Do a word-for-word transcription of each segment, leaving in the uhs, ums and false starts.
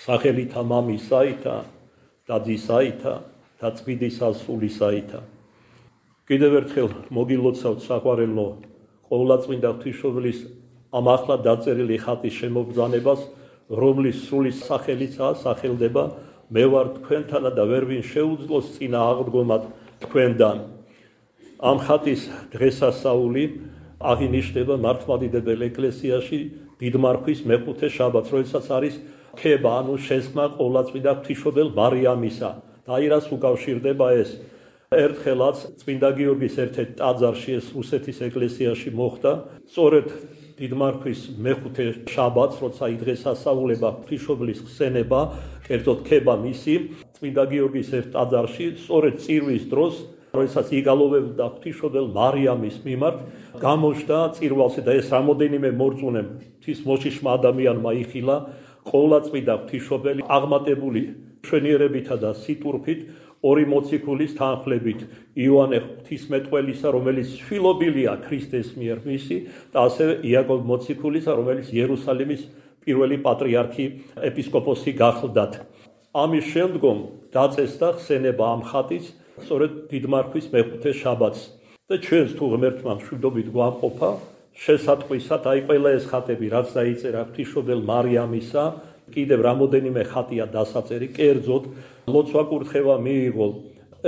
სახელითა მამისაითა და ძისაითა და წმინდისა სულისაითა. კიდევ ერთხელ მოგილოცავთ საყვარელო ყოვლადწმინდა ღვთისმშობლის ამ ახლა დაწერილი ხატის შემობრძანებას, რომლის სულის სახელიცაა სახელდება მე ვარ თქვენთანა და ვერ ვინ შეუძლოს წინა აღდგომად თქვენდან. ამ ხატის დღესასწაული აღინიშნება მართლმადიდებელ ეკლესიაში დიდმარხვის მეხუთე შაბათს, როდესაც არის ქება, ანუ შესხმა ყოვლადწმინდა ღვთისმშობელ მარიამისა. და აირას უკავშირდება ეს. ერთხელაც წმინდა გიორგის ერთ-ერთ ტაძარში, ეს რუსეთის ეკლესიაში მოხდა, სწორედ დიდმარხვის მეხუთე შაბათს, როცა დღესასწაულება ღვთისმშობლის ხსენება, კერძოდ ქება მისი, წმინდა გიორგის ერთ ტაძარში, სწორედ წირვის დროს, როდესაც იგალოვებდა ღვთისმშობელ მარიამის მიმართ, გამოჩნდა წირვალში და ეს რამოდენიმე მორწმუნემ ღვთის მოშიშმა ადამიანმა იხილა, ყოვლადწმინდა ღვთისმშობელი აღმატებული მშვენიერებითა და სიტურფით, ორი მოციქულის თანხლებით, იოანე ღვთისმეტყველისა, რომელიც შვილობილია ქრისტეს მიერ მისი, და ასევე იაკობ მოციქულისა, რომელიც იერუსალიმის პირველი პატრიარქი, ეპისკოპოსი გახლდათ. ამის შემდგომ დაწესდა ხსენება ამ ხატის, სწორედ დიდმარხვის მეხუთე შაბათს. და ჩვენს თუ ღმერთმა მშვიდობით გვამყოფა, შესატყვისად, აი ყველა ეს ხატები, რაც დაიწერა ღვთისმშობელ მარიამისა, კიდევ რამოდენიმე ხატია დასაწერი, კერძოდ ლოცვა კურთხევა მიიღო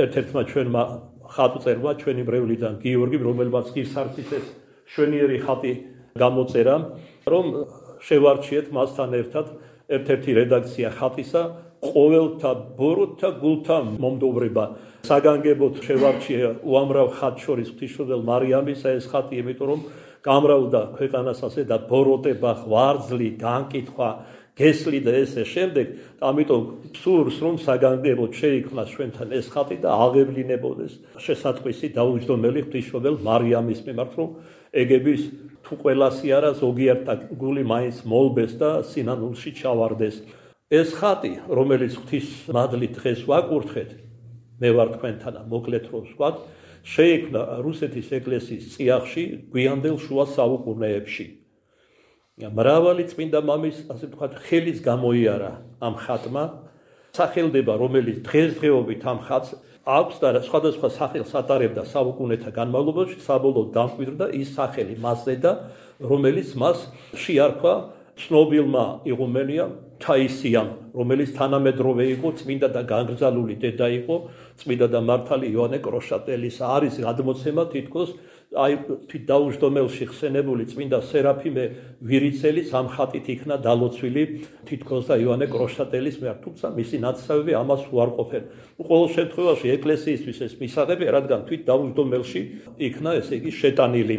ერთ-ერთმა ჩვენმა ხატწერმა, ჩვენი მრევლიდან გიორგიმ, რომელმაც ღირსარცის ეს შვენიერი ხატი გამოწერა, რომ შევარჩიეთ მასთან ერთად ერთ-ერთი რედაქცია ხატისა, ყოველთა ბოროტთა გულთა მომდოვრება. საგანგებოდ შევარჩია უამრავ ხატს შორის ღვთისმშობელ მარიამისა ეს ხატი, იმიტომ რომ გამრავლდა ქვეყანას ასე და ბოროტება, ღვარძლი, განკითხვა, გესლი და ესე შემდეგ, ამიტომ სურს რომ საგანგებოდ შეიქმნას ჩვენთან ეს ხატი და აღევლინებოდეს შესატყვისი დაუჯდომელი ღვთისმშობელ მარიამის მიმართ, რომ ეგების თუ ყველასი არა, ზოგიერთთა გული მაინც მოლბეს და სინანულში ჩავარდეს. ეს ხატი, რომელიც ღვთის მადლით დღეს ვაკურთხეთ, მე ვარ თქვენთანა, მოკლედ რომ ვსვათ, შეიქმნა რუსეთის ეკლესიის წიაღში გვიანდელ შუა საუკუნეებში. მრავალი წმინდა მამის, ასე ვთქვათ, ხელის გამოიარა ამ ხატმა, სახელდება, რომელიც დღესდღეობით ამ ხატს აქვს და სხვადასხვა სახელს ატარებდა საუკუნეთა განმავლობაში, საბოლოოდ დამკვიდრდა ის სახელი მასზე და რომელიც მას შეარქვა ცნობილმა იღუმენიამ თაისიამ, რომელიც თანამედროვე იყო, წმინდა და განგრძალული დედა იყო, წმინდა და მართალი იოანე კროშატელის. არის გადმოცემა თითქოს აი დაუჯდომელში ხსენებული წმინდა სერაფიმე ვირიცელის ამ ხატით იქნა დალოცვილი თითქოს და იოანე კროშატელის მიერ, თუმცა მისი ნათესავები ამას უარყოფენ. ყოველ შემთხვევაში ეკლესიისთვის ეს მისაღებია, რადგან თვით დაუჯდომელში იქნა, ესე იგი, შეტანილი.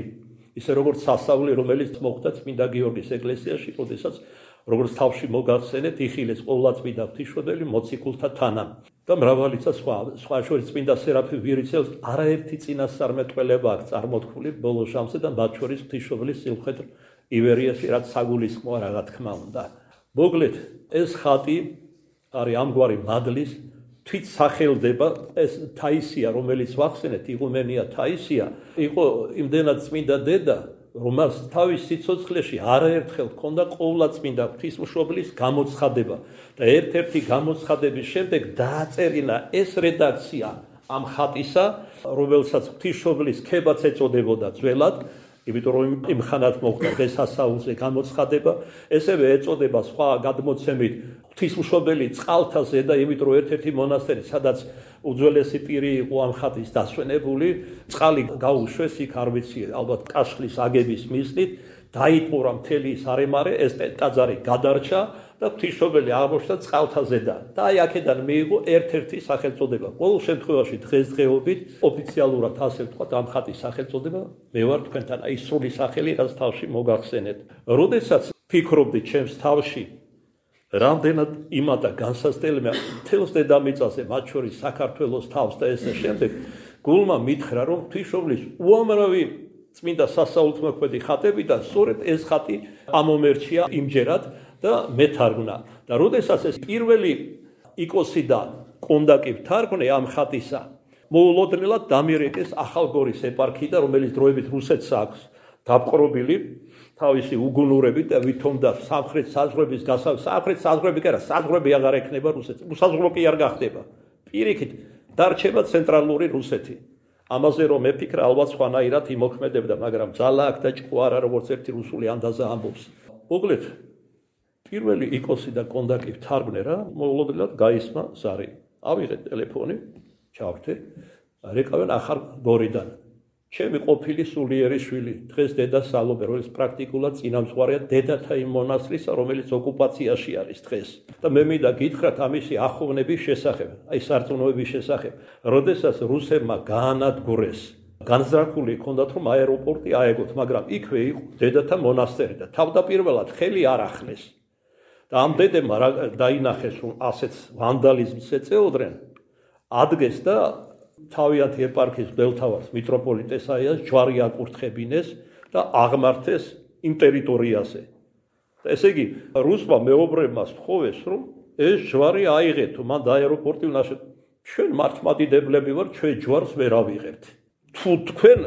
ისე როგორც სასწაული, რომელიც მოხდა წმინდა გიორგის ეკლესიაში, როდესაც როგორც თავში მოგახსენეთ, იხილეს ყოვლადწმინდა ღვთისმშობელი მოციქულთა თანამ. და მრავალიცა სხვა, სხვა შორის წმინდა სერაფიმ ვირიცელს არაერთი წინასწარმეტყველება აქვს წარმოთქმული ბოლო ჟამზე და მათ შორის ღვთისმშობლის სიუხვედრ ივერიაში, რაც საგულისხმოა, რა თქმა უნდა. მოკლედ, ეს ხატი არის ამგვარი მადლის თვით სახელდება, ეს თაისია, რომელიც ვახსენეთ, იღუმენია თაისია, იყო იმდენად წმინდა დედა, რომელს თავის სიცოცხლეში არაერთხელ ჰქონდა ყოვლადწმინდა ღვთისმშობლის გამოცხადება და ერთ-ერთი გამოცხადების შემდეგ დააწერინა ეს რედაქცია ამ ხატისა, რომელსაც ღვთისმშობლის ქებაც ეწოდებოდა ძველად, იმიტომ რომ იმ ხანად მოხდა დღესასწაულზე გამოცხადება, ესევე ეწოდება სხვა გადმოცემით ღვთისმშობელი წყალთა ზედა, იმიტომ რომ ერთ-ერთი მონასტერი, სადაც უძველესი პირი იყო ამ ხატის დასვენებული, წყალი გაუშვეს იქ, არ ვიცი, ალბათ კაშხლის აგების მიზნით, დაიტყურა მთელი ის არემარე, ეს ტაძარი გადარჩა და ღვთისმშობელი აღმოჩნდა წყალთა ზედა. და აი აქედან მიიღო ერთ-ერთი სახელწოდება. ყოველ შემთხვევაში დღესდღეობით ოფიციალურად ასე ვთქვათ, ამ ხატის სახელწოდება მე ვარ თქვენთან, აი სრული სახელი, რაც თავში მოგახსენეთ. როდესაც ფიქრობდი ჩემს თავში, რამდენად იმადა განსასწრებელია მთელს დედამიწაზე, მათ შორის საქართველოს თავს და ესე შემდეგ, გულმა მითხრა, რომ ღვთისმშობლის უამრავი წმინდა სასაულთმოქმედი ხატებიდან სწორედ ეს ხატი ამომერჩია იმჯერად და მეთარგმნა. და როდესაც ეს პირველი იკოსი და კონდაკი ვთარგმნე ამ ხატისა, მოულოდნელად დამირეკეს ახალგორის ეპარქიიდან, რომელიც დროებით რუსეთს აქვს დაპყრობილი, თავისი უგუნურებით და ვითომ და სამხრეთ საზღვრების გასავ სამხრეთ საზღვრები კი არა, საზღვრები აღარ ექნება რუსეთს. უსაზღვრო კი არ გახდება. პირიქით დარჩება ცენტრალური რუსეთი. ამაზე რომ მეფიქრა, ალბათ სხვანაირად იმოქმედებდა, მაგრამ ძალა აქ და ჭკუ არა, როგორც ერთი რუსული ანდაზა ამბობს. მოკლედ, პირველი იკოსი და კონდაკი თარგმნე რა, მოულოდნელად გაისმა ზარი. ავიღე ტელეფონი, ჩავრთე, რეკავენ ახალ გორიდან. ჩემი ყოფილი სულიერი შვილი, დღეს დედა სალობე, რომელიც პრაქტიკულად წინამძღვარია დედათა იმ მონასტრისა, რომელიც ოკუპაციაში არის დღეს. და მე მინდა გითხრათ ამისი ახოვნების შესახებ, აი სარწმუნოების შესახებ, როდესაც რუსებმა გაანადგურეს, განზრახული ჰქონდათ რომ აეროპორტი აეგოთ, მაგრამ იქვე იყო დედათა მონასტერი და თავდაპირველად ხელი არ ახლეს. და ამ დედებმა დაინახეს რომ ასეთ ვანდალიზმს ეწეოდნენ, ადგეს და თავიანთი ეპარქიის მღვდელთავარს მიტროპოლიტ ესაიას ჯვარი აკურთხებინეს და აღმართეს იმ ტერიტორიაზე. და ესე იგი რუსმა მეობრებმა სთხოვეს რომ ეს ჯვარი აიღეთო, მან აეროპორტი უნაშეთ. ჩვენ მართლმადიდებლები ვარ, ჩვენ ჯვარს ვერ ავიღებთ. თუ თქვენ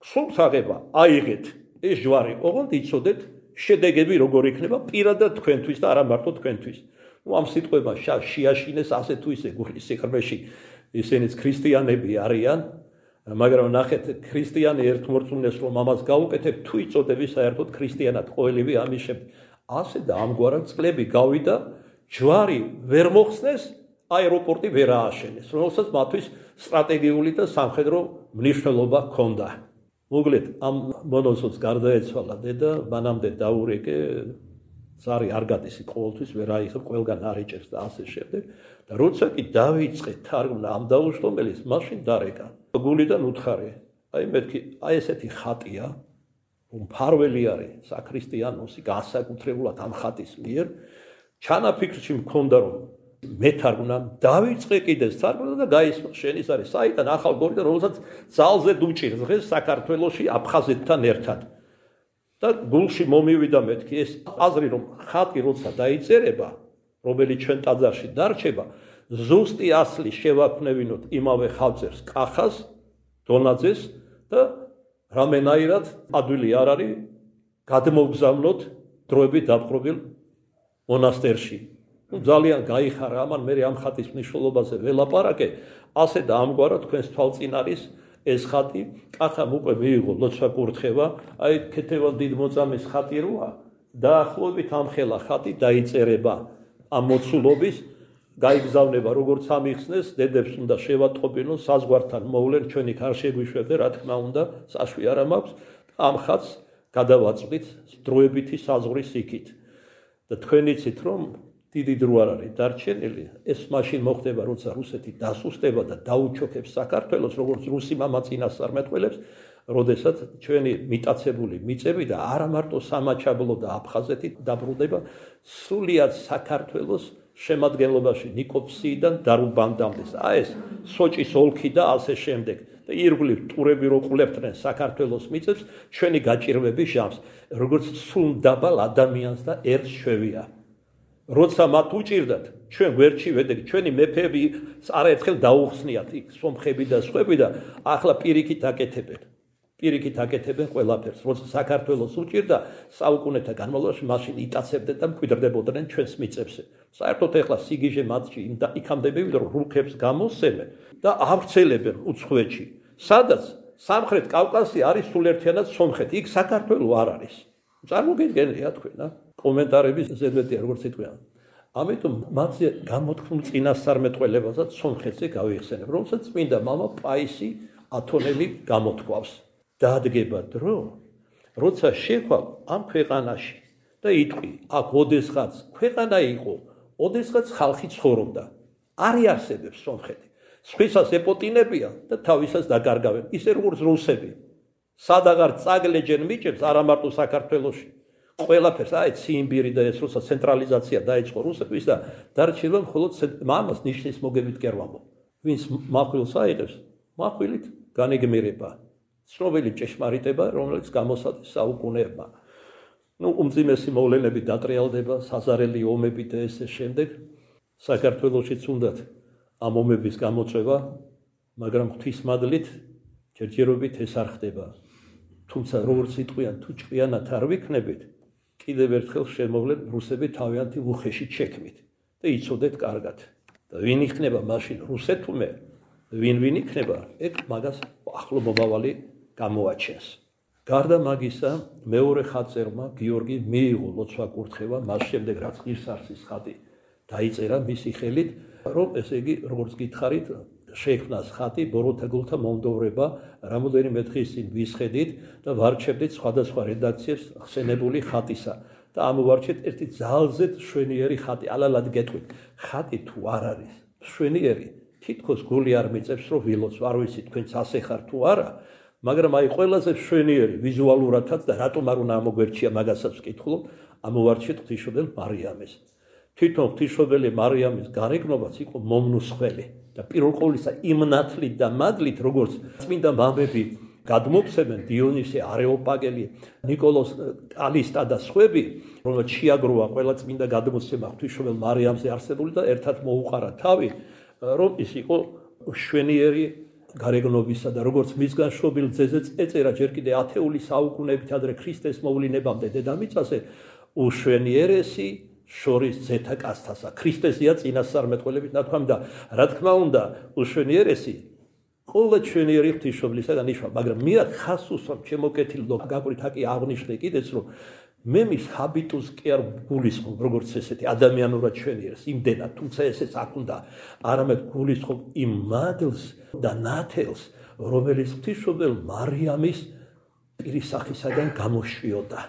გსურთ აღება, აიღეთ ეს ჯვარი, ოღონდ იცოდეთ შედეგები როგორ იქნება პირადად თქვენთვის და არა მარტო თქვენთვის. ნუ ამ სიტყვებმა შეაშინეს ასე თუ ისე გულის სიღრმეში ისინიც ქრისტიანები არიან, მაგრამ ნახეთ ქრისტიანი ერთმორწმუნეს რომ ამას გაუკეთებ, თუ იწოდები საერთოდ ქრისტიანად ყოველივე ამის შემდეგ. ასე და ამგვარად წლები გავიდა, ჯვარი ვერ მოხსნეს, აეროპორტი ვერ ააშენეს, რომელსაც მათთვის სტრატეგიული და სამხედრო მნიშვნელობა ჰქონდა. მოკლედ ამ მონოსოც გარდაეცვალა დედა, მანამდე დაურეკე, ზარი არ გადის ყოველთვის ვერ აიღებ, ყველგან არ იჭერს და ასე შემდეგ. და როცა კი დავიწყე თარგმნა ამ დაუჯდომელის, მაშინ დარეკა. გულიდან უთხარი, აი მეთქი, აი ესეთი ხატია, რომ მფარველი არის საქრისტიანოსი განსაკუთრებულად ამ ხატის მიერ, ჩანაფიქრში მქონდა რომ მეთარგმნა, დავიწყე კიდეს თარგმნა და გაისმა, შენ ის არის საიდან ახალ გორიდან, რომელსაც ძალზე დუჭირს დღეს საქართველოში აფხაზეთთან ერთად. და გულში მომივიდა მეთქი ეს აზრი რომ ხატი როცა დაიწერება, რომელიც ჩვენ ტაძარში დარჩება, ზუსტი ასლი შევაქმნევინოთ იმავე ხალხს, კახას, დონაძეს და რამენაირად ადვილი არ არის გადმოგზავნოთ დროებით დაპყრობილ მონასტერში. ძალიან გაიხარა ამან, მე ამ ხატის მნიშვნელობაზე ველაპარაკე, ასე და ამგვარად თქვენს თვალწინ არის ეს ხატი, კახამ უკვე მიიღო ლოცვა კურთხევა, აი ქეთევან დიდმოწამის ხატი როა, დაახლოებით ამ ხელა ხატი დაიწერება ამ მოცულობის, გაიგზავნება როგორც ამიხსნეს, დედებს უნდა შევატყობინონ, საზღვართან მოვლენ, ჩვენი არ შეგვიშვებდე, რა თქმა უნდა, საშვი არ მაქვს, ამ ხატს გადავაწყვით დროებითი საზღვრის იქით. და თქვენ იცით რომ დიდი დრო არ არის დარჩენილი, ეს მაშინ მოხდება, როცა რუსეთი დასუსტება და დაუჩოქებს საქართველოს, როგორც რუსი მამა წინასწარმეტყველებს, როდესაც ჩვენი მიტაცებული მიწები და არა მარტო სამაჩაბლო და აფხაზეთი დაბრუნდება სრულიად საქართველოს შემადგენლობაში ნიკოფსიიდან დარუბანდამდე. აი ეს სოჭის ოლქი და ასე შემდეგ. და ირგვლივ ტურები რო ყულებდნენ საქართველოს მიწებს, ჩვენი გაჭირვების ჟამს, როგორც სულ დაბალ ადამიანს და ერთს შვევია. როცა მათ უჭირდათ, ჩვენ გვერდში ვედეგით, ჩვენი მეფეები არაერთხელ დაუხსნიათ იქ სომხები და სხვები და ახლა პირიქით აკეთებენ. პირიქით აკეთებენ ყველაფერს. როცა საქართველოს უჭირდა საუკუნეთა განმავლობაში, მაშინ იტაცებდნენ და მკვიდრდებოდნენ ჩვენს მიწებზე. საერთოდ ეხლა სიგიჟე მათში იქამდე მივიდა, რომ რუქებს გამოსცემენ და ავრცელებენ უცხოეთში. სადაც სამხრეთ კავკასია არის სულ ერთიანად სომხეთი, იქ საქართველო არ არის. წარმოგიდგენია თქვენ, კომენტარების ზედმეტია როგორც იტყვიან. ამიტომ მათზე გამოთქმულ წინასწარმეტყველებასაც სომხეთზე გავიხსენებ, რომელსაც წმინდა მამა პაისი ათონელი გამოთქვავს. დაადგება დრო, როცა შეხვალ ამ ქვეყანაში და იტყვი, აქ ოდესღაც ქვეყანა იყო, ოდესღაც ხალხი ცხოვრობდა. არ იარსებებს სომხეთი. სხვისას ეპოტინებია და თავისას დაკარგავენ, ისე როგორც რუსები. სადაღარ წაგლეჯენ მიჭებს, არა მარტო საქართველოში. ყველაფერს, აი ციმბირი და ეს როცა ცენტრალიზაცია დაიწყო რუსების და დარჩება მხოლოდ მამას ნიშნის მოგებით კერვამო. ვინც მახვილს აიღებს, მახვილით განეგმირება. ცნობილი ჭეშმარიტება, რომელიც გამოსადეს საუკუნეებმა. ნუ უმძიმესი მოვლენები დატრიალდება, საზარელი ომები და ესე შემდეგ. საქართველოშიც უნდათ ამ ომების გამოწვევა, მაგრამ ღვთისმადლით ჯერჯერობით ეს არ ხდება. თუმცა როგორც იტყვიან, თუ ჭკვიანად არ ვიქნებით, კიდევ ერთხელ შემოვლენ რუსები თავიანთი უხეში შექმით და იცოდეთ კარგად. და ვინ იქნება მაშინ რუსეთუმე, ვინ ვინ იქნება, ეგ მაგას ახლო მომავალი გამოაჩენს. გარდა მაგისა, მეორე ხატწერმა გიორგი მიიღო ლოცვა-კურთხევა, მას შემდეგ რაც ღირსარსის ხატი დაიწერა მისი ხელით, რომ ესე იგი, როგორც გითხარით, შექმნას ხატი ბოროტა გულთა მომდოვრება, რამოდენიმე დღის წინ ვისხედით და ვარჩევდით სხვადასხვა რედაქციებს ხსენებული ხატისა და ამოვარჩეთ ერთი ძალზედ მშვენიერი ხატი. ალალად გეტყვით, ხატი თუ არ არის მშვენიერი, თითქოს გული არ მიწევს, რომ ვილოცო, არ ვიცი თქვენც ასე ხარ თუ არა, მაგრამ აი ყველაზე მშვენიერი ვიზუალურადაც და რატომ არ უნდა ამოგვერჩია მაგასაც ვკითხულობ, ამოვარჩეთ ღვთისმშობელ მარიამეს. თვითონ ღვთისმშობელი მარიამის გარეგნობაც იყო მომნუსხველი და პირველ ყოვლისა იმ ნათლით და მადლით, როგორც წმინდა მამები გადმოგვცემენ დიონისე, არეოპაგელი, ნიკოლოზ კალისტა და სხვები, რომელთ შეაგროვა ყველა წმინდა გადმოცემა ღვთისმშობელ მარიამზე არსებული და ერთად მოუყარა თავი, რომ ის იყო მშვენიერი გარეგნობისა და როგორც მისგან შობილ ძეზეც ეწერა ჯერ კიდე ათეული საუკუნეებით ადრე ქრისტეს მოვლინებამდე დედამიწაზე, უშვენიერესი შორის ძეთა კაცთასა. ქრისტესია წინასწარმეტყველებით ნათქვამი და რა თქმა უნდა, უშვენიერესი ყველა ჩვენიერი ღვთისმშობლისაგან იშვა, მაგრამ მირად ხას უსვამ ჩემო კეთილ და გაკვირთ აკი აღნიშნე კიდეც, რომ მე მის ჰაბიტუს კი არ გულისხმობ, როგორც ესეთი ადამიანურად ჩვენიერს, იმდენად, თუმცა ესეც აქ უნდა, არამედ გულისხმობ იმ მადლს და ნათელს, რომელიც ღვთისმშობელ მარიამის პირისახისაგან გამოშვიოდა.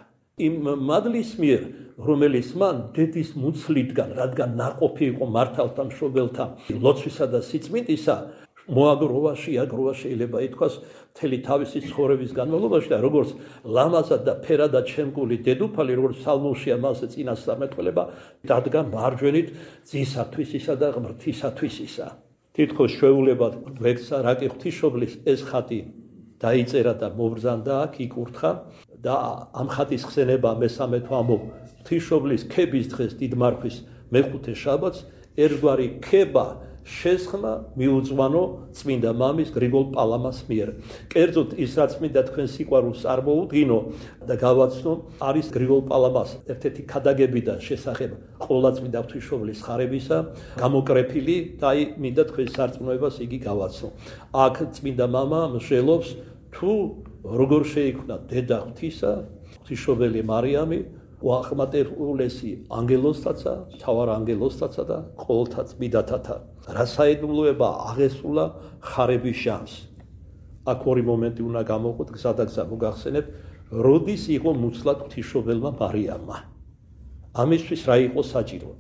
იმ მადლის მიერ, რომელიც მან დედის მუცლიდან, რადგან ნაყოფი იყო მართალთა მშობელთა ლოცვისა და სიწმინდისა, მოაგროვა, შეაგროვა შეიძლება ითქვას მთელი თავისი ცხოვრების განმავლობაში და როგორც ლამაზად და ფერადად შემკული დედოფალი, როგორც ფსალმურშია მასზე წინასწარმეტყველება, დადგა მარჯვენით ძისათვისისა და ღმრთისათვისისა. თითქოს ჩვეულებად გვექცა, რა კი ღვთისმშობლის ეს ხატი დაიწერა და მობრძანდა აქ იკურთხა და ამ ხატის ხსენება მესამე თვამო ღვთისმშობლის ქების დღეს დიდმარხვის მეხუთე შაბათს ერთგვარი ქება შესხმა მიუძღვანო წმინდა მამის გრიგოლ პალამას მიერ. კერძოდ ის რაც მინდა თქვენ სიყვარულს არ მოუდგინო და გავაცნო, არის გრიგოლ პალამას ერთ-ერთი ქადაგებიდან შესახებ ყოლა წმინდა ღვთისმშობლის ხარებისა გამოკრეფილი და აი მინდა თქვენ სარწმუნოებას იგი გავაცნო. აქ წმინდა მამა მსჯელობს თუ როგორ შეიქმნა დედა ღვთისა, ღვთისმშობელი მარიამი, უახმატებულესი ანგელოზთაცა, მთავარ ანგელოზთაცა და ყოველთა წმინდათათა. რა საიდუმლოება აღესრულა ხარების ჟამს. აქ ორი მომენტი უნდა გამოვყოთ, გზადაგზა მოგახსენებ, როდის იყო მუცლად ღვთისმშობელმა მარიამმა. ამისთვის რა იყო საჭირო?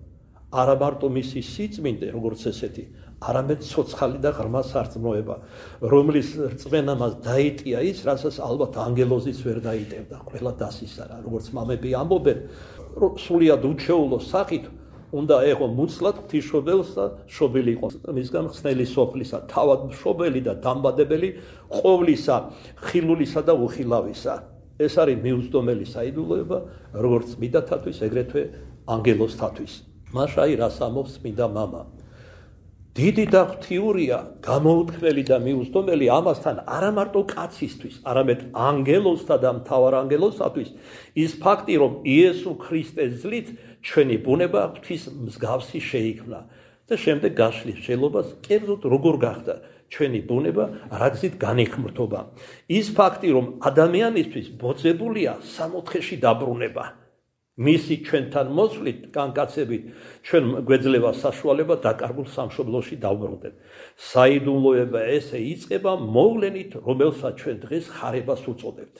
არა მარტო მისი სიწმინდე, როგორც ესეთი, არამედ ცოცხალი და ღრმა სარწმუნოება, რომლის რწმენა მას დაიტია ის, რასაც ალბათ ანგელოზიც ვერ დაიტევდა, ყველა დასისარა, როგორც მამები ამბობენ, რომ სულიად უჩვეულო სახით უნდა ეღო მუცლად ღვთისმშობელს და მშობელი იყო მისგან ხსნელი სოფლისა, თავად მშობელი და დამბადებელი ყოვლისა, ხილულისა და უხილავისა. ეს არის მიუწვდომელი საიდუმლოება, როგორც წმინდათათვის, ეგრეთვე ანგელოზთათვის. მაშაი რას ამბობს წმინდა მამა? დიდი და ღვთიურია, გამოუთქმელი და მიუწვდომელი ამასთან არა მარტო კაცისთვის, არამედ ანგელოზთა და მთავარ ანგელოზთათვის ის ფაქტი, რომ იესო ქრისტეს ძლით ჩვენი ბუნება ღვთის მსგავსი შეიქმნა და შემდეგ გაშლის მსჯელობას, კერძოდ როგორ გახდა ჩვენი ბუნება, რა გზით განიხმრთობა. ის ფაქტი, რომ ადამიანისთვის ბოძებულია სამოთხეში დაბრუნება. მისი ჩვენთან მოსვლით, განკაცებით, ჩვენ გვეძლევა საშუალება დაკარგულ სამშობლოში დავბრუნდეთ. საიდუმლოება ესე იწყება მოვლენით, რომელსაც ჩვენ დღეს ხარებას უწოდებთ.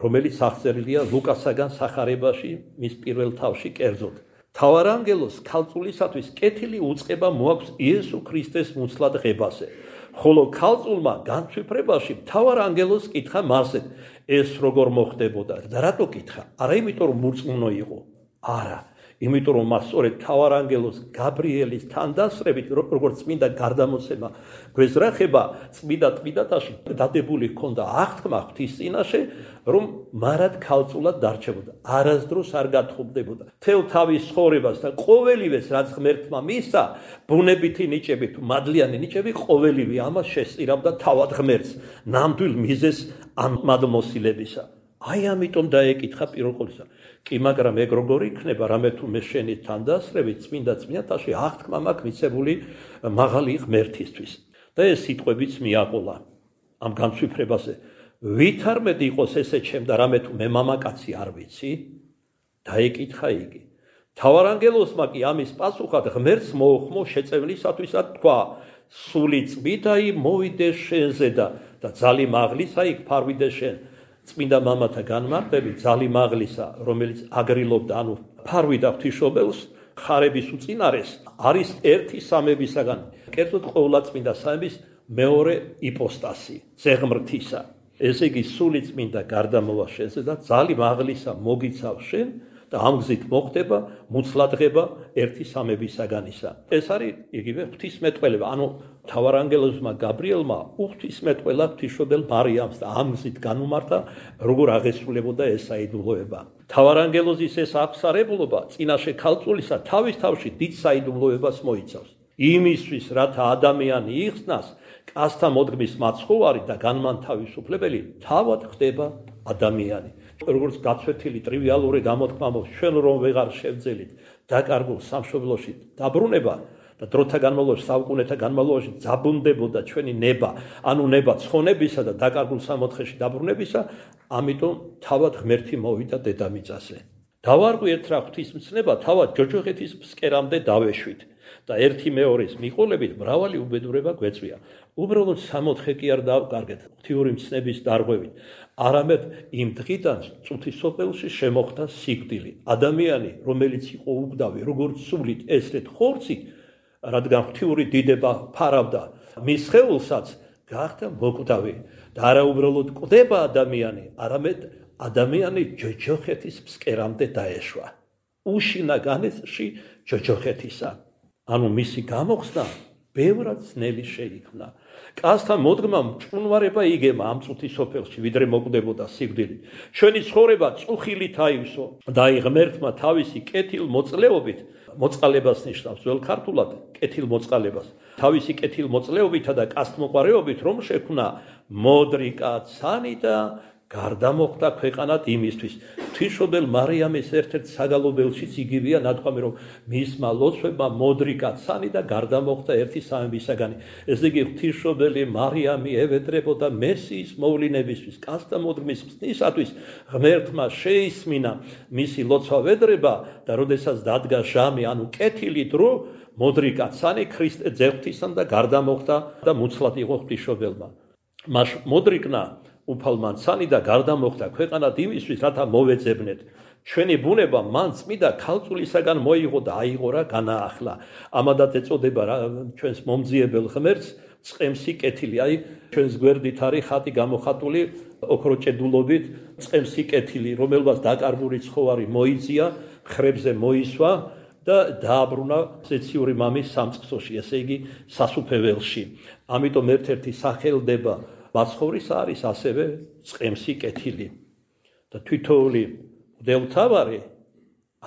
რომელიც აღწერილია ლუკასაგან სახარებაში, მის პირველ თავში კერძოდ. მთავარ ანგელოზს ქალწულისათვის კეთილი უწყება მოაქვს იესო ქრისტეს მუცლად ღებაზე. ხოლო ქალწულმა განცვიფრებაში მთავარ ანგელოზს კითხა მასზე, ეს როგორ მოხდებოდა და რატო კითხა? არა იმიტომ რომ მურწმუნო იყო. არა, იმიტომ რომ მას სწორედ მთავარანგელოს გაბრიელის თანდასწრებით როგორც წმინდა გარდამოსება გვეზრახება წმინდა წმინდათაში დადებული ჰქონდა აღთქმა ღვთის წინაშე რომ მარად ქალწულად დარჩებოდა არასდროს არ გათხოვდებოდა თელ თავის ცხოვრებას და ყოველივეს რაც ღმერთმა მისცა ბუნებითი ნიჭები თუ მადლიანი ნიჭები ყოველივე ამას შესწირავდა თავად ღმერთს ნამდვილ მიზეს ამ მადმოსილებისა აი ამიტომ დაეკითხა პირველ ყოვლისა კი მაგრამ ეგ როგორ იქნება რამე თუ მე შენი თანდასწრებით წმინდა წმინდათაში აღთქმა მაქვს მიცებული მაღალი ღმერთისთვის და ეს სიტყვებიც მიაყოლა ამ განცვიფრებაზე ვით არ მეტი იყოს ესე ჩემ და რამე თუ მე მამაკაცი არ ვიცი დაეკითხა იგი მთავარანგელოსმა კი ამის პასუხად ღმერთს მოუხმო შეწევნისათვისა თქვა სული წმიდაი მოვიდეს შენზე და და ძალი მაღლისა იქ ფარვიდეს შენ წმინდა მამათა განმარტები ძალი მაღლისა რომელიც აგრილობდა ანუ ფარვიდა ღვთისმშობელს ხარების უწინარეს არის ერთი სამებისაგან კერძოდ ყოვლადწმინდა სამების მეორე იპოსტასი ზეღმრთისა ესე იგი სული წმინდა გარდამოვა შენზე და ძალი მაღლისა მოგიცავ შენ და ამ გზით მოხდება მუცლადღება ერთი სამებისაგანისა ეს არის იგივე ღვთისმეტყველება ანუ მთავარანგელოზმა გაბრიელმა უღვთისმეტყველა ღვთისმშობელ მარიამს და ამ გზით განუმართა როგორ აღესრულებოდა ეს საიდუმლოება მთავარანგელოზის ეს აღსარებლობა წინაშე ქალწულისა თავის თავში დიდ საიდუმლოებას მოიცავს იმისთვის რათა ადამიანი იხსნას კაცთა მოდგმის მაცხოვარი და განმანთავისუფლებელი თავად ხდება ადამიანი როგორც გაცვეთილი ტრივიალური გამოთქმა მოხდა ჩვენ რომ ვეღარ შევძელით დაკარგულ სამშობლოში დაბრუნება და დროთა განმავლობაში საუკუნეთა განმავლობაში ძაბუნდებოდა ჩვენი ნება ანუ ნება ცხონებისა და დაკარგულ სამოთხეში დაბრუნებისა ამიტომ თავად ღმერთი მოვიდა დედამიწაზე დავარღვიეთ რა ღვთისმცნება თავად ჯოჯოხეთის ფსკერამდე დავეშვით და ერთი მეორის მიყოლებით მრავალი უბედურება გვეწვია უბრალოდ სამოთხე კი არ დავკარგეთ ღვთიური მცნების დარღვევით არამედ იმ დღიდან წუთის სოფელში შემოხდა სიკვდილი ადამიანი რომელიც იყო უგდავი როგორც სულით ესეთ ხორცით რადგან ღვთიური დიდება ფარავდა მის სხეულსაც გახდა მოკვდავი და არა უბრალოდ კვდება ადამიანი არამედ ადამიანი ჯოჯოხეთის ფსკერამდე დაეშვა უშინა განეცში ჯოჯოხეთისა ანუ მისი გამოხსნა ბევრად ძნელი შეიქმნა კაცთა მოდგმამ ჭუნვარება იგემა ამ წუთის სოფელში ვიდრე მოკვდებოდა სიკვდილით ჩვენი ცხოვრება წუხილით აივსო და აი ღმერთმა თავისი კეთილ მოწლეობით მოწყალებას ნიშნავს ძველ ქართულად კეთილ მოწყალებას თავისი კეთილ მოწლეობითა და კაცთმოყვარეობით რომ შექმნა მოდრი კაცანი და გარდამოხდა ქვეყანად იმისთვის ღვთისმშობელ მარიამის ერთ-ერთ საგალობელშიც იგივეა ნათქვამი რომ მისმა ლოცვებმა მოდრი კაცანი და გარდამოხდა ერთი სამებისაგანი ესე იგი ღვთისმშობელი მარიამი ევედრებოდა მესიის მოვლინებისთვის კაცთა მოდგმის მცნისათვის ღმერთმა შეისმინა მისი ლოცვა ვედრება და როდესაც დადგა ჟამი ანუ კეთილი დრო მოდრი კაცანი ქრისტე ძეღვთისან და გარდამოხდა და მუცლად იყო ღვთისმშობელმა მას მოდრიკნა უფალმა ცანი და გარდამოხდა ქვეყანად იმისთვის რათა მოვეძებნეთ ჩვენი ბუნება მან წმიდა ქალწულისაგან მოიღო და აიღო რა განაახლა ამადაც ეწოდება ჩვენს მომძიებელ ღმერთს წყემსი კეთილი აი ჩვენს გვერდით არის ხატი გამოხატული ოქროჭედულობით წყემსი კეთილი რომელმაც დაკარგული ცხოვარი მოიწია ხრებზე მოისვა და დააბრუნა ზეციური მამის სამწყსოში ესე იგი სასუფეველში ამიტომ ერთ-ერთი სახელდება მაცხოვრის არის ასევე წყემსი კეთილი და თვითოული მღვდელმთავარი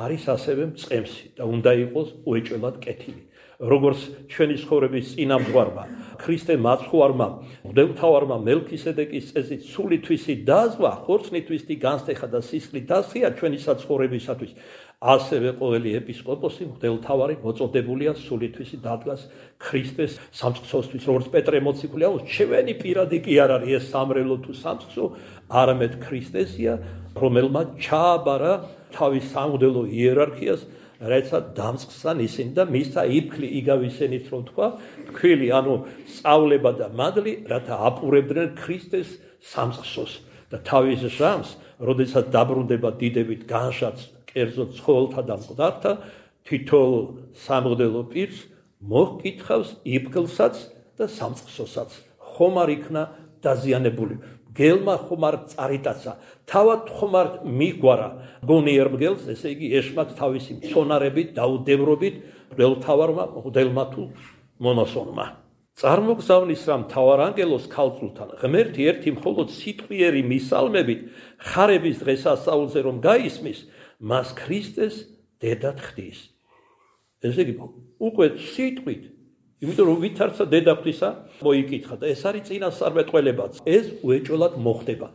არის ასევე წყემსი და უნდა იყოს უეჭველად კეთილი როგორც ჩვენი ცხოვრების წინამძღვარმა ქრისტე მაცხოვარმა მღვდელმთავარმა მელქისედეკის წესით სულითვისი დაზვა ხორცნითვისი განსტეხა და სისხლით დასხია ჩვენი საცხოვრებისათვის ასევე ყოველი ეპისკოპოსი მღვდელმთავარი მოწოდებულია სულითვისი დადგას ქრისტეს სამწყსოსთვის როგორც პეტრე მოციქული ამბობს ჩვენი პირადი კი არ არის ეს სამრელო თუ სამწყსო არამედ ქრისტესია რომელმაც ჩააბარა თავის სამღვდელო იერარქიას რაცა დამწყსან ისინი და მისცა იფქლი იგავისენით რომ თქვა თქვილი ანუ სწავლება და მადლი რათა აპურებდნენ ქრისტეს სამწყსოს და თავის ჟამს როდესაც დაბრუნდება დიდებით განშაც კერძოდ ცხოველთა და მკვდართა თითოეულ სამღვდელო პირს მოჰკითხავს იფქლსაც და სამწყსოსაც ხომ არ იქნა დაზიანებული მგელმა ხომარ წარიტაცა, თავად ხომარ მიგვარა გონიერ მგელს, ესე იგი ეშმაკს თავისი მცონარებით, დაუდევრობით, მღვდელმთავარმა, მღვდელმა თუ მონოსონმა. წარმოგზავნის რა მთავარანგელოს ქალწულთან, ღმერთი ერთი მხოლოდ სიტყვიერი მისალმებით, ხარების დღესასწაულზე რომ გაისმის, მას ქრისტეს დედად ხდის. ესე იგი, უკვე სიტყვით, იმიტომ რომ ვითარცა დედა ღვთისა, მოიკითხა და ეს არის წინასწარმეტყველებაც. ეს უეჭველად მოხდება.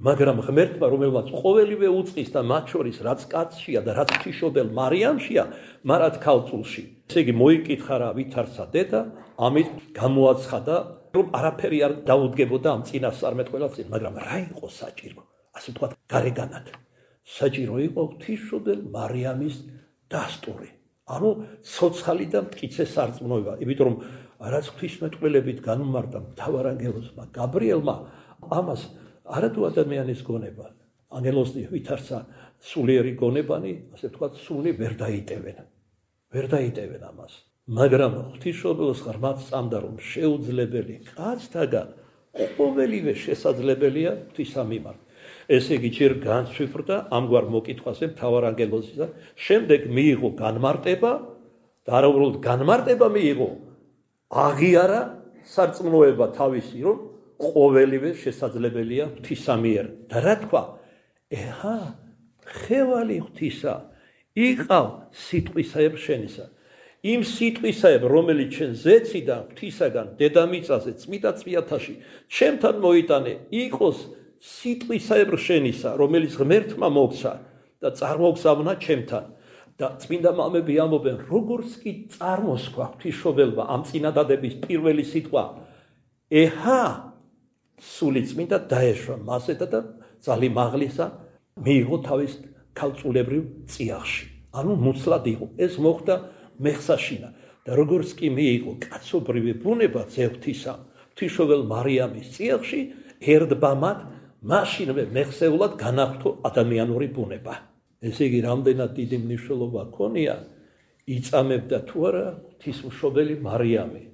მაგრამ ღმერთმა, რომელმაც ყოველივე უწყის და მათ შორის რაც კაცშია და რაც ღვთისმშობელ მარიამშია, მარად ქალწულში. ესე იგი, მოიკითხა რა ვითარცა დედა, ამით გამოაცხადა, რომ არაფერი არ დაუდგებოდა ამ წინასწარმეტყველას, მაგრამ რა იყო საჭირო? ასე ვთქვათ, გარეგანად. საჭირო იყო ღვთისმშობელ მარიამის დასტური. ანუ ცოცხალი და მტკიცე სარწმუნოება, იმიტომ რომ რაც ღვთისმეტყველებით განუმარტა მთავარანგელოსმა გაბრიელმა, ამას არადუ ადამიანის გონება, ანგელოზი ვითარცა სულიერი გონებანი, ასე ვთქვათ, სული ვერ დაიტევენ. ვერ დაიტევენ ამას. მაგრამ ღვთისმშობელს ღრმად სწამდა, რომ შეუძლებელი კაცთაგან ყოველივე შესაძლებელია ღვთისა მიმართ. ესე იგი, ჯერ განცვიფრდა ამგვარ მოკითხვაზე მთავარანგელოზისა, შემდეგ მიიღო განმარტება და არა უბრალოდ განმარტება მიიღო, აღიარა სარწმუნოება თავისი, რომ ყოველივე შესაძლებელია ღვთისა მიერ. და რა თქვა? ეჰა, ხევალი ღვთისა, იყავ სიტყვისაებ შენისა. იმ სიტყვისაებ, რომელიც შენ ზეციდან ღვთისაგან დედამიწაზე წმიდა წვიათაში ჩემთან მოიტანე, იყოს სიტყვისაებრ შენისა, რომელიც ღმერთმა მოგცა და წარმოგზავნა ჩემთან. და წმინდა მამები ამბობენ, როგორც კი წარმოსქვა ღვთისმშობელმა ამ წინადადების პირველი სიტყვა, ეჰა, სული წმინდა დაეშვა მასე და ძალი მაღლისა მიიღო თავის ქალწულებრივ წიაღში. ანუ მუცლად იყო. ეს მოხდა მეხსაშინა. და როგორც კი მიიღო კაცობრივი ბუნება ძევთისა, ღვთისმშობელ მარიამის წიაღში, ერთბამად მაშინვე მეხსეულად განახლო ადამიანური ბუნება. ესე იგი, რამდენად დიდი მნიშვნელობა ქონია, იწამებდა თუ არა ღვთისმშობელი მარიამი.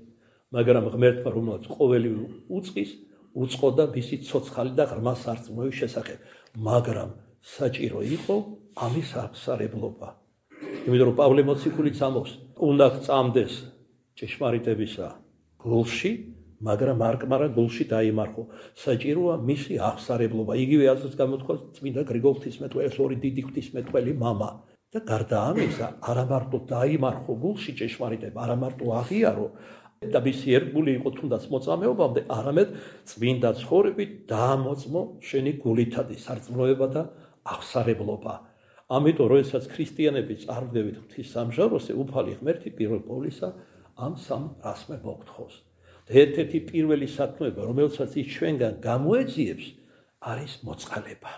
მაგრამ ღმერთმა, რომელსაც ყოველივე უწყის, უწყოდა მისი ცოცხალი და ღრმა სარწმუნოების შესახებ. მაგრამ საჭირო იყო ამის აღსარებლობა. იმიტომ რომ პავლე მოციქულიც ამბობს, უნდა წამდეს ჭეშმარიტებისა გულში, მაგრამ არკმარა გულში დაიმარხო. საჭიროა მისი აღსარებლობა. იგივე აზრს გამოთქვა წმინდა გრიგოლ ღვთისმეტყველის ორი დიდი ღვთისმეტყველი მამა. და გარდა ამისა, არა მარტო დაიმარხო გულში ჭეშმარიტება, არა მარტო აღიარო და მისი ერთგული იყო თუნდაც მოწამეობამდე, არამედ წმინდა ცხოვრებით დაამოწმო შენი გულითადი სარწმუნოება და აღსარებლობა. ამიტომ, როდესაც ქრისტიანები წარვდებით ღვთის სამჟაროზე, უფალი ღმერთი პირველ ყოვლისა ამ სამ რასმე მოგთხოვს. და ერთ-ერთი პირველი სათნოება, რომელსაც ის ჩვენგან გამოეძიებს, არის მოწყალება.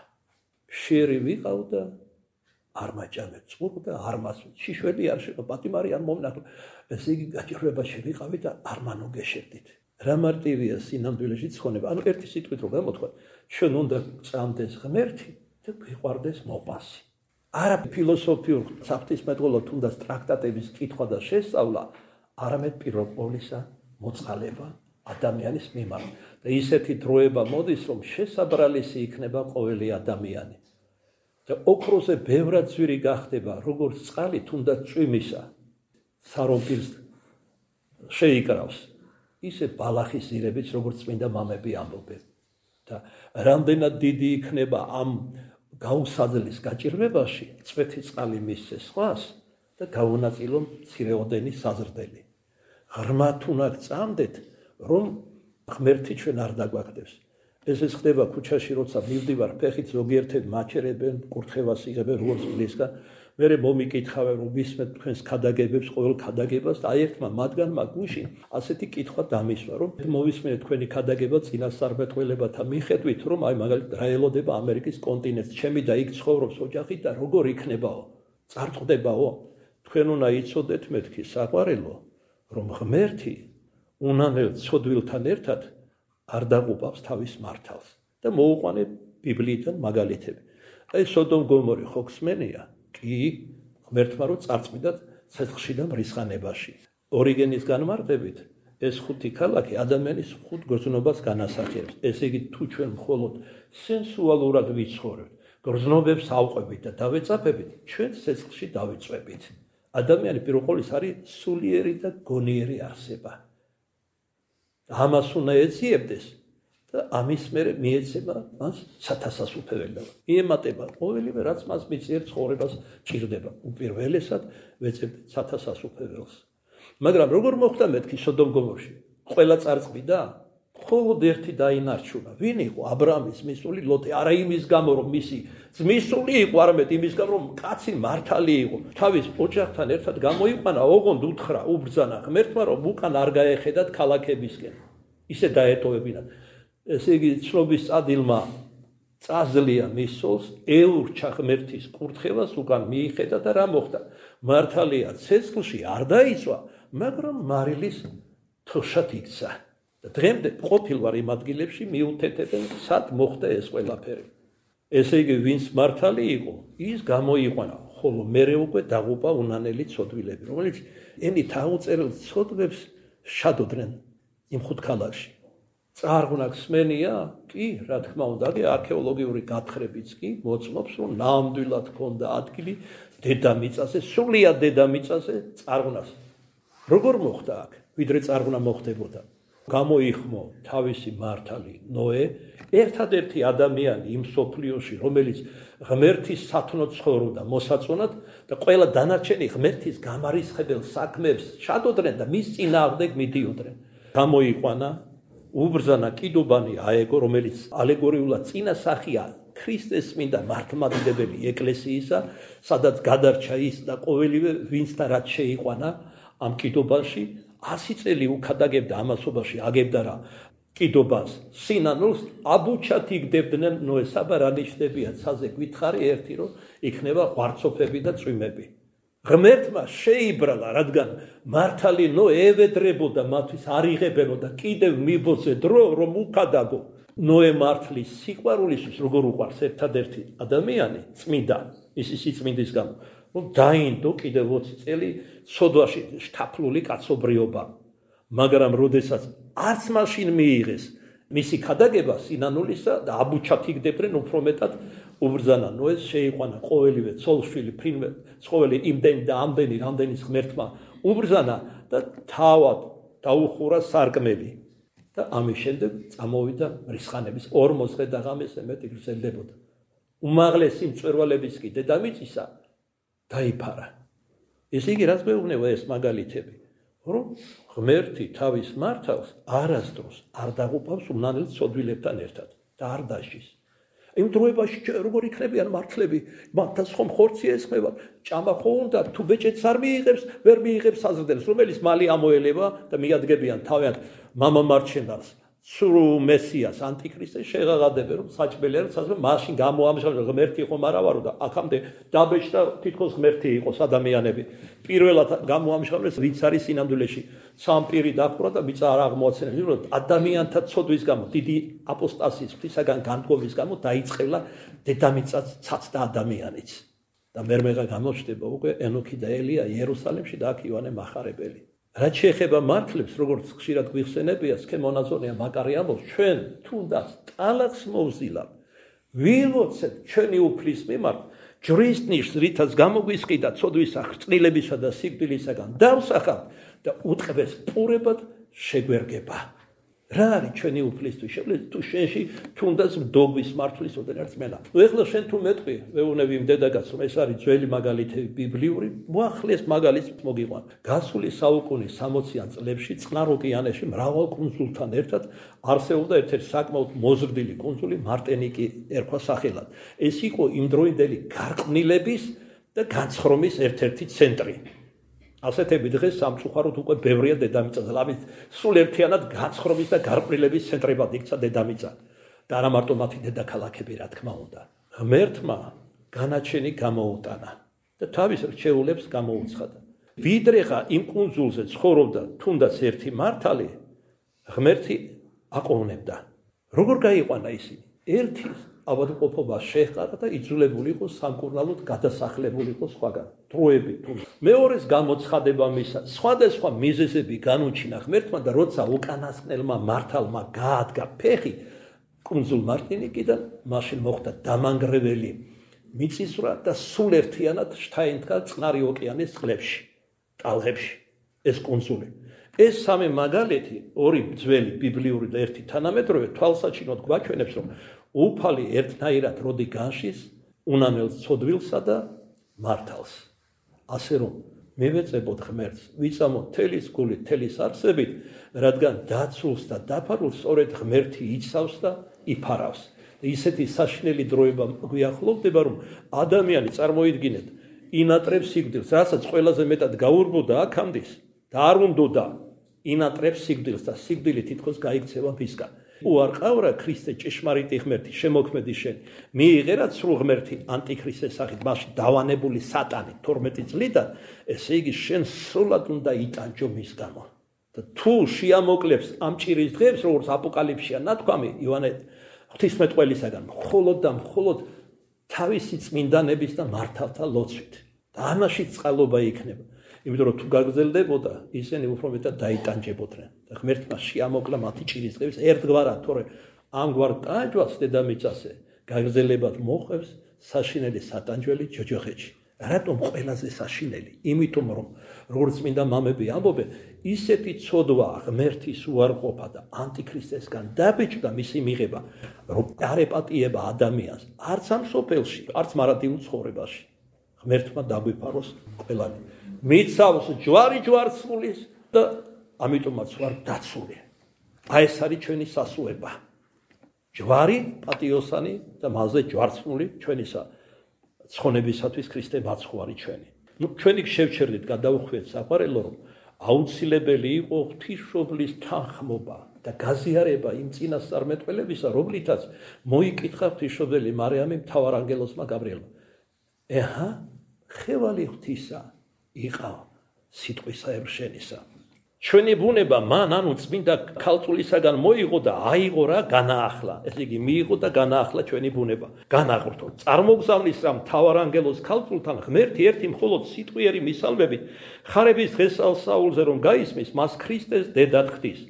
შერი ვიყავ და არ მაჭამე წყურ და არ მასვით. შიშველი არ შეყო, პატიმარი არ მომნახო. ესე იგი, გაჭირვებაში ვიყავით და არ მანოგეშერდით. რა მარტივია სინამდვილეში ცხონება. ანუ ერთი სიტყვით რომ გამოთქვა, ჩვენ უნდა წამდეს ღმერთი და გვიყვარდეს მოყვასი. არა ფილოსოფიურ საფრთხისმეტყველო თუნდაც ტრაქტატების კითხვა და შესწავლა, არამედ პირველ ყოვლისა მოწყალება ადამიანის მიმართ. და ისეთი დროება მოდის, რომ შესაბრალისი იქნება ყოველი ადამიანი. და ოქროზე ბევრად ძვირი გახდება, როგორც წყალი თუნდაც წვიმისა, სარომპირს შეიკრავს, ისე ბალახის ირებიც, როგორც წმინდა მამები ამბობენ. და რამდენად დიდი იქნება ამ გაუსაძლის გაჭირვებაში, წვეთი წყალი მისცე სხვას და გაუნაწილო მცირეოდენი საზრდელი. ღრმად უნდა გწამდეთ, რომ ღმერთი ჩვენ არ დაგვაგდებს. ეს ხდება ქუჩაში, როცა მივდივარ, ფეხით ზოგიერთები მაჩერებენ, კურთხევას იღებენ როგორც მლისგან, მერე მომიკითხავენ, რომ ვისმენთ თქვენს ქადაგებებს, ყოველ ქადაგებას და აი ერთმა მათგანმა გუშინ ასეთი კითხვა დამისვა, რომ მოვისმენთ თქვენი ქადაგება წინასწარმეტყველებათა მიხედვით, რომ აი მაგალითად რა ელოდება ამერიკის კონტინენტს, ჩემი და იქ ცხოვრობს ოჯახი და როგორ იქნებაო, წარწყდებაო, თქვენ უნდა იცოდეთ მეთქი საყვარელო, რომ ღმერთი უნანელ ცოდვილთან ერთად არ დაყუპავს თავის მართალს და მოუყვანე ბიბლიიდან მაგალითები. აი სოდომ გომორი ხო გსმენია? კი, ღმერთმა რო წარწმიდათ ცეცხლში და მრისხანებაში. ორიგენის განმარტებით ეს ხუთი ქალაქი ადამიანის ხუთ გრძნობას განასახიერებს. ესე იგი, თუ ჩვენ მხოლოდ სენსუალურად ვიცხოვრებთ, გრძნობებს ავყვებით და დავეწაფებით, ჩვენ ცეცხლში დავიწვევით. ადამიანი პირველ ყოვლისა არის სულიერი და გონიერი არსება. ამას უნდა ეძიებდეს და ამის მერე მიეცემა მას სათასასუფეველი. იემატება ყოველივე რაც მას მიწიერ ცხოვრებას ჭირდება. უპირველესად ვეძებდით სათასასუფეველს. მაგრამ როგორ მოხდა მეთქი სოდომ გომორში? ყველა წარწმიდა? მხოლოდ ერთი დაინარჩუნა. ვინ იყო? აბრაამის მისული ლოტე. არა იმის გამო, რომ მისი ძმისული იყო, არამედ იმის გამო, რომ კაცი მართალი იყო. თავის ოჯახთან ერთად გამოიყვანა, ოღონდ უთხრა, უბრძანა ღმერთმა, რომ უკან არ გაეხედათ ქალაქებისკენ. ისე დაეტოვებინათ. ესე იგი, ცნობის წადილმა წაზლია მის სულს, ეურჩა ღმერთის კურთხევას, უკან მიიხედა და რა მოხდა? მართალია ცეცხლში არ დაიწვა, მაგრამ მარილის თოშად იქცა. და დღემდე ყოფილ ვარ იმ ადგილებში მიუთეთებენ, სად მოხდა ეს ყველაფერი. ესე იგი, ვინც მართალი იყო, ის გამოიყვანა, ხოლო მერე უკვე დაღუპა უნანელი ცოდვილები, რომელიც ენით აუწერელ ცოდვებს შადოდნენ იმ ხუთ ქალაქში. წარღვნა გსმენია? კი, რა თქმა უნდა, არქეოლოგიური გათხრებიც კი მოწმობს, რომ ნამდვილად ჰქონდა ადგილი დედამიწაზე, სრულიად დედამიწაზე წარღვნას. როგორ მოხდა აქ? ვიდრე წარღვნა მოხდებოდა. გამოიხმო თავისი მართალი ნოე, ერთადერთი ადამიანი იმ სოფლიოში, რომელიც ღმერთის სათნოდ ცხოვრობდა მოსაწონად და ყველა დანარჩენი ღმერთის გამარისხებელ საქმეებს შადოდნენ და მის წინააღმდეგ მიდიოდნენ. გამოიყვანა, უბრძანა კიდობანი აეგო, რომელიც ალეგორიულად წინასახია ქრისტეს წმინდა მართლმადიდებელი ეკლესიისა, სადაც გადარჩა ის და ყოველივე ვინც და რაც შეიყვანა ამ კიდობანში, ასი წელი უკადაგებდა ამასობაში, აგებდა რა კიდობას, სინანულს, აბუჩად იგდებდნენ ნოეს. აბა რა ნიშნებია ცაზე გითხარი ერთი, რომ იქნება ღვარცოფები და წვიმები. ღმერთმა შეიბრალა, რადგან მართალი ნოე ევედრებოდა მათთვის, არ იღებენოდა კიდევ მიბოძე დრო, რომ უკადაგო. ნოე მართლის სიყვარულისთვის, როგორ უყვარს ერთადერთი ადამიანი, წმინდა, ისი სიწმინდის გამო, რომ დაინდო კიდევ ოცი წელი ცოდვაში შთაფლული კაცობრიობა. მაგრამ როდესაც არც მაშინ მიიღეს მისი ქადაგება სინანულისა და აბუჩად იგდებდნენ, უფრო მეტად უბრძანა ნოეს, შეიყვანა ყოველივე ცოლშვილი, ფრინველი, ცხოველი იმდენი და ამდენი, რამდენის ღმერთმა უბრძანა და თავად დაუხურა სარკმელი. და ამის შემდეგ წამოვიდა მრისხანების ორმოცდე და ღამესზე მეტი გრძელდებოდა. უმაღლესი მწვერვალების კი დედამიწისა დაიფარა. ესე იგი, რაც მეუბნება ეს მაგალითები, რომ ღმერთი თავის მართალს არასდროს არ დაღუპავს უნანელ ცოდვილებთან ერთად და არ დაშის. იმ დროებაში როგორ იქნებიან მართლები, მათაც ხომ ხორცი ესხმება, ჭამა ხო უნდა, თუ ბეჭედს არ მიიღებს, ვერ მიიღებს საზრდელს, რომელიც მალე ამოელება და მიადგებიან თავიანთ მამამარჩენელს, სრულ მესიას, ანტიქრისტეს შეღაღადებენ, რომ საჭმელი არის, საზრდე მაშინ გამოამჟღავნა ღმერთი ხომ არა ვარო და აქამდე დაბეჭდა თითქოს ღმერთი იყოს ადამიანები. პირველად გამოამჟღავნეს, ვინც არის სინამდვილეში სამპირი დახურა და მიწა არ აღმოაცენეს, რომ ადამიანთა ცოდვის გამო, დიდი აპოსტასიის ღვთისაგან განდგომის გამო დაიწყელა დედამიწაც ცაცდა ადამიანიც. და მერმეღა გამოჩნდება უკვე ენოქი და ელია იერუსალიმში და აქ იოანე მახარებელი. რაც შეეხება მართლებს, როგორც ხშირად გვიხსენებია, სქემონაზონია მაკარი ამბობს, ჩვენ თუნდაც ტალახს მოვზილავ, ვიმოცეთ ჩვენი უფლის მიმართ, ჯვრის ნიშს, რითაც გამოგვისყიდა ცოდვისა, ხრწნილებისა და სიკვდილისაგან დავსახავ და უტყბეს პურებად შეგვერგება. რა არის ჩვენი უფლისთვის? შეგვიძლია თუ შენში თუნდაც მდოგვის მართლის ოდენაც მელა. ნუ ეხლა შენ თუ მეტყვი, ვეუბნები იმ დედაგაც, რომ ეს არის ძველი მაგალითები ბიბლიური, მოახლეს მაგალითს მოგიყვან. გასული საუკუნის სამოციან წლებში წყნარ ოკეანეში მრავალ კუნძულთან ერთად არსებობდა ერთ-ერთი საკმაოდ მოზრდილი კუნძული, მარტენიკი ერქვა სახელად. ეს იყო იმდროინდელი გარყვნილების და განცხრომის ერთ-ერთი ცენტრი. ასეთები დღეს სამწუხაროდ უკვე ბევრია დედამიწაზე. ამით სულ ერთიანად განცხრომის და გარყვნილების ცენტრებად იქცა დედამიწა. და არა მარტო მათი დედაქალაქები, რა თქმა უნდა. ღმერთმა განაჩენი გამოუტანა და თავის რჩეულებს გამოუცხადა. ვიდრეხა იმ კუნძულზე ცხოვრობდა თუნდაც ერთი მართალი, ღმერთი აყოვნებდა. როგორ გაიყვანა ისინი? ერთის ავადმყოფობა შეჰყარა და იძულებული იყო სამკურნალოდ გადასახლებული იყო სხვაგან. დროები თუ მეორეს გამოცხადება მისა, სხვადასხვა მიზეზები განუჩინა ღმერთმა და როცა უკანასკნელმა მართალმა გაადგა ფეხი კუნძულ მარტინიკიდან, მაშინ მოხდა დამანგრეველი მიწისძვრა და სულ ერთიანად შთაინთქა წყნარი ოკეანის წყლებში, ტალღებში ეს კუნძული. ეს სამი მაგალითი, ორი ძველი ბიბლიური და ერთი თანამედროვე თვალსაჩინოდ გვაჩვენებს, რომ უფალი ერთნაირად როდი განშის უნამელ ცოდვილსა და მართალს. ასე რომ მივეწებოთ ღმერთს, ვიწამოთ თელის გულით, თელის არსებით, რადგან დაცულს და დაფარულს სწორედ ღმერთი იცავს და იფარავს. ისეთი საშინელი დროება გვიახლოვდება, რომ ადამიანი წარმოიდგინეთ, ინატრებს სიკვდილს, რასაც ყველაზე მეტად გაურბოდა აქამდის და არ უნდოდა ინატრებს სიკვდილს და სიკვდილი თითქოს გაიქცევა მისგან. უარყავრა ქრისტე ჭეშმარიტი ღმერთი შემოქმედი შენ, მიიღერა სრულ ღმერთი ანტიქრისტეს სახით, მაშინ დავანებული სატანი თორმეტი წლიდან, ესე იგი შენ სრულად უნდა იტანჯო მის გამო. და თუ შეამოკლებს ამ ჭირის დღეებს, როგორც აპოკალიფსია ნათქვამი ივანე ღვთისმეტყველისაგან, მხოლოდ და მხოლოდ თავისი წმინდანების და მართალთა ლოცვით. და ამაში წყალობა იქნება. იმიტომ რომ თუ გაგრძელდებოდა, ისინი უფრო მეტად დაიტანჯებოდნენ. და ღმერთმა შეამოკლა მათი ჭირის დღეებს ერთგვარად, თორე ამგვარ ტანჯვას დედამიწაზე გაგრძელებად მოყვებს საშინელი სატანჯველი ჯოჯოხეთში. რატომ ყველაზე საშინელი? იმიტომ რომ როგორც წმინდა მამები ამბობენ, ისეთი ცოდვა ღმერთის უარყოფა და ანტიქრისტესგან დაბეჭდა მისი მიღება, რომ არ ეპატიება ადამიანს, არც ამ სოფელში, არც მარადიულ ცხოვრებაში. ღმერთმა დაგვიფაროს ყველანი. მიცავს ჯვარი ჯვარცმულის და ამიტომაც ვარ დაცული. აი ეს არის ჩვენი სასუება. ჯვარი პატიოსანი და მასზე ჯვარცმული ჩვენისა ცხონებისათვის ქრისტე მაცხვარი ჩვენი. ნუ ჩვენი შევჩერდით გადავხვიეთ საყვარელო, რომ აუცილებელი იყო ღვთისმშობლის თანხმობა და გაზიარება იმ წინასწარმეტყველებისა, რომლითაც მოიკითხა ღვთისმშობელი მარიამი მთავარ ანგელოზმა გაბრიელმა. ეჰა, ხევალი ღვთისა იყავ სიტყვისა ებრშენისა. ჩვენი ბუნება მან ანუ წმინდა ქალწულისაგან მოიღო და აიღო რა განაახლა. ესე იგი მიიღო და განაახლა ჩვენი ბუნება. განაღვრთო. წარმოგზავნის რა მთავარ ანგელოზ ქალწულთან ღმერთი ერთი მხოლოდ სიტყვიერი მისალმებით ხარების დღესასწაულზე რომ გაისმის, მას ქრისტეს დედად ხდის.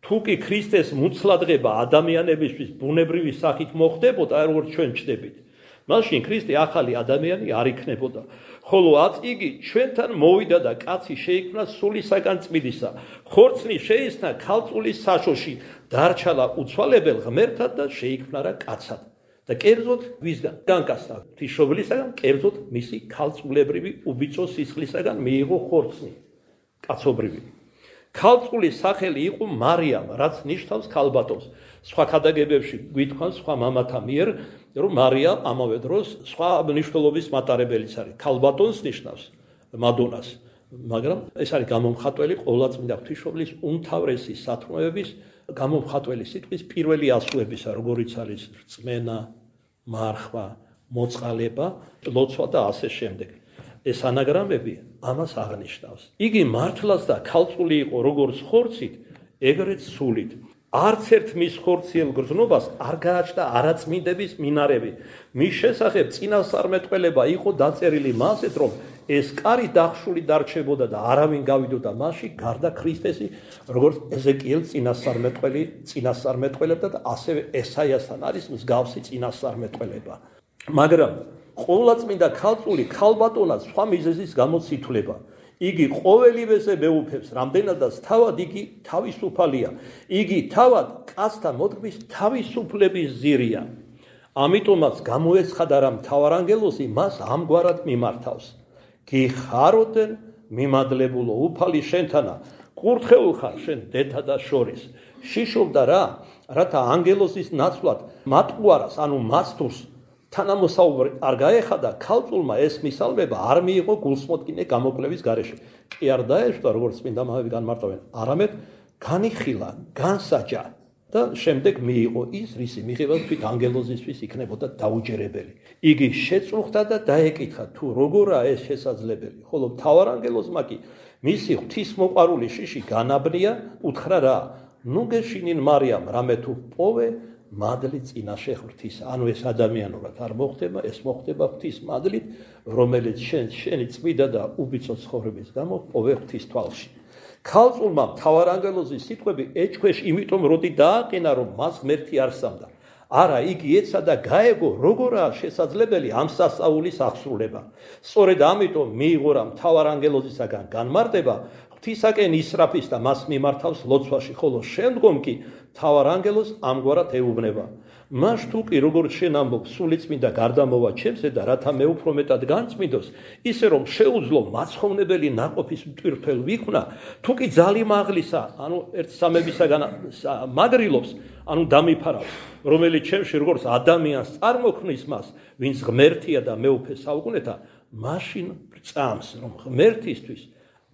თუ კი ქრისტეს მუცლადღება ადამიანებისთვის ბუნებრივი სახით მოხდებოდა, როგორც ჩვენ ჩდებით, მაშინ ქრისტე ახალი ადამიანი არ იქნებოდა. ხოლო ათ იგი ჩვენთან მოვიდა და კაცი შეიქმნა სულისაგან წმიდისა. ხორცნი შეისნა ქალწულის საშოში, დარჩალა უცვალებელ ღმერთად და შეიქმნა რა კაცად. და კერძოდ ვისგან განკაცდა ღვთისმშობლისაგან, კერძოდ მისი ქალწულებრივი უბიწო სისხლისაგან მიიღო ხორცნი კაცობრივი. ქალწულის სახელი იყო მარიამ, რაც ნიშნავს ქალბატონს. სხვა ქადაგებებში გვითქვან სხვა მამათა მიერ, რომ მარია ამავე დროს სხვა მნიშვნელობის მატარებელიც არის. ქალბატონს ნიშნავს მადონას, მაგრამ ეს არის გამომხატველი ყოვლადწმინდა ღვთისმშობლის უმთავრესი სათნოების გამომხატველი სიტყვის პირველი ასოებისა, როგორიც არის რწმენა, მარხვა, მოწყალება, ლოცვა და ასე შემდეგ. ეს ანაგრამები ამას აღნიშნავს. იგი მართლაც და ქალწული იყო როგორც ხორცით, ეგრეთ სულით. არც ერთ მის ხორციელ გრძნობას არ გააჩნდა არაწმინდების მინარევი. მის შესახებ წინასწარმეტყველება იყო დაწერილი მასეთ, რომ ეს კარი დახშული დარჩებოდა და არავინ გავიდოდა მასში გარდა ქრისტესი, როგორც ეზეკიელ წინასწარმეტყველი წინასწარმეტყველებდა და ასევე ესაიასთან არის მსგავსი წინასწარმეტყველება. მაგრამ ყოვლადწმინდა ქალწული ქალბატონად სხვა მიზეზის გამო ითვლება. იგი ყოველივეზე მეუფებს, რამდენადაც თავად იგი თავისუფალია. იგი თავად კაცთა მოდგმის თავისუფლების ზირია. ამიტომაც გამოეცხადა რა მთავარ ანგელოზი მას ამგვარად მიმართავს. გიხაროდენ მიმადლებულო უფალი შენთანა, კურთხეულ ხარ შენ დედა შორის. შიშობდა რა, რათა ანგელოზის ნაცვლად მატყუარას, ანუ მასთურს თანამოსაუბრი არ გაეხადა, ქალწულმა ეს მისალმება არ მიიღო გულსმოდგინე გამოკვლევის გარეშე. კი არ დაეშვა, როგორც წმინდა მამები განმარტავენ, არამედ განიხილა, განსაჯა და შემდეგ მიიღო ის, რისი მიღება თვით ანგელოზისთვის იქნებოდა დაუჯერებელი. იგი შეწუხდა და დაეკითხა, თუ როგორაა ეს შესაძლებელი, ხოლო მთავარ ანგელოზმა კი მისი ღვთისმოყვარული შიში განაბნია, უთხრა რა, ნუ გეშინინ მარიამ, რამე თუ პოვე მადლით წინაშე ღვთის. ანუ ეს ადამიანურად არ მოხდება, ეს მოხდება ღვთის მადლით, რომელიც შენ შენი წმინდა და უბიცო ცხოვრების გამო პოვე ღვთის თვალში. ქალწულმა მთავარანგელოზის სიტყვები ეჭქვეშ იმიტომ როდი დააყენა, რომ მას ღმერთი არ სამდა. არა, იგი ეცა და გაეგო, როგორაა შესაძლებელი ამ სასწაულის აღსრულება. სწორედ ამიტომ მიიღო რა მთავარანგელოზისაგან განმარტება, ღვთისაკენ ისრაფის და მას მიმართავს ლოცვაში, ხოლო შემდგომ კი მთავარანგელოზს ამგვარად ეუბნება. მას თუ კი როგორც შენ ამბობ, სულიწმინდა გარდამოვა ჩემზე და რათა მე უფრო მეტად განწმინდოს, ისე რომ შეუძლო მაცხოვრებელი ნაყოფის მტვირთველ ვიქმნა, თუ კი ძალიმაღლისა, ანუ ერთ სამებისაგან მაგრილობს, ანუ დამიფარავს, რომელიც ჩემში როგორც ადამიანს წარმოქმნის მას, ვინც ღმერთია და მეუფე საუკუნეთა, მაშინ წამს, რომ ღმერთისთვის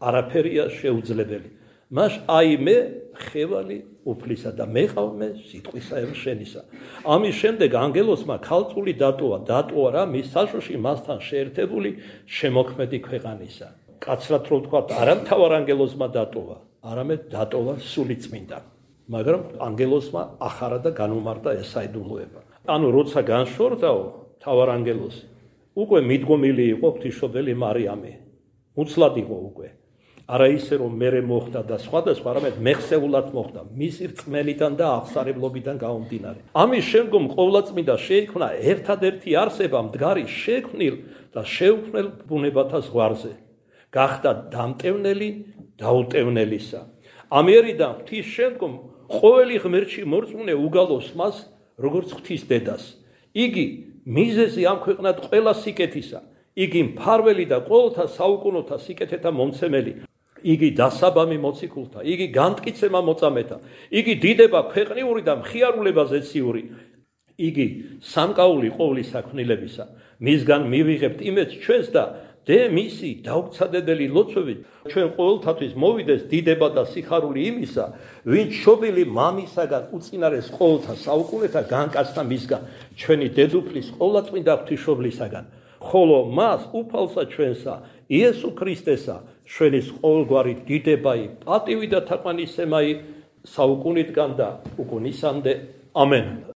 არაფერია შეუძლებელი. მას აი მე ხევალი უფლისა და მეყავ მე სიტყვისა შენისა. ამის შემდეგ ანგელოსმა ქალწული დატოვა, დატოვა რა მის საშუში მასთან შეერთებული შემოქმედი ქვეყანისა. კაცრად რო ვთქვა, არა მთავარანგელოსმა დატოვა, არამედ დატოვა სულიწმინდა. მაგრამ ანგელოსმა ახარა და განუმარტა ეს საიდუმლოება. ანუ როცა განშორდაო მთავარანგელოსი, უკვე მიდგომილი იყო ღვთისმშობელი მარიამი. უცლად იყო უკვე. არა ისე რომ მერე მოხდა და სხვადასხვა, არამედ მეხსეულად მოხდა მისი რწმენიდან და აღსარებლობიდან გამომდინარე. ამის შემდგომ ყოვლადწმინდა შეიქმნა ერთადერთი არსება მდგარი შექმნილ და შეუქმნელ ბუნებათა ზღვარზე. გახდა დამტევნელი დაუტევნელისა. ამერიდან ღვთის შემდგომ ყოველი ღმერთში მორწმუნე უგალოს მას როგორც ღვთის დედას. იგი მიზეზი ამ ქვეყნად ყველა სიკეთისა. იგი მფარველი და ყოველთა საუკუნოთა სიკეთეთა მომცემელი. იგი დასაბამი მოციქულთა, იგი განმტკიცება მოწამეთა, იგი დიდება ქვეყნიური და მხიარულება ზეციური. იგი სამკაული ყოვლის საქმნილებისა. მისგან მივიღებთ იმედს ჩვენს და დე მისი დაუცადებელი ლოცვებით ჩვენ ყოველთათვის მოვიდეს დიდება და სიხარული იმისა, ვინც შობილი მამისაგან უწინარეს ყოველთა საუკუნეთა განკაცდა მისგან ჩვენი დედუფლის ყოვლადწმინდა ღვთისმშობლისაგან. ხოლო მას უფალსა ჩვენსა იესო ქრისტესა ჩვენის ყოველგვარი დიდებაი, პატივი და თაყვანისცემაი საუკუნიდან და უკუნისამდე. ამენ.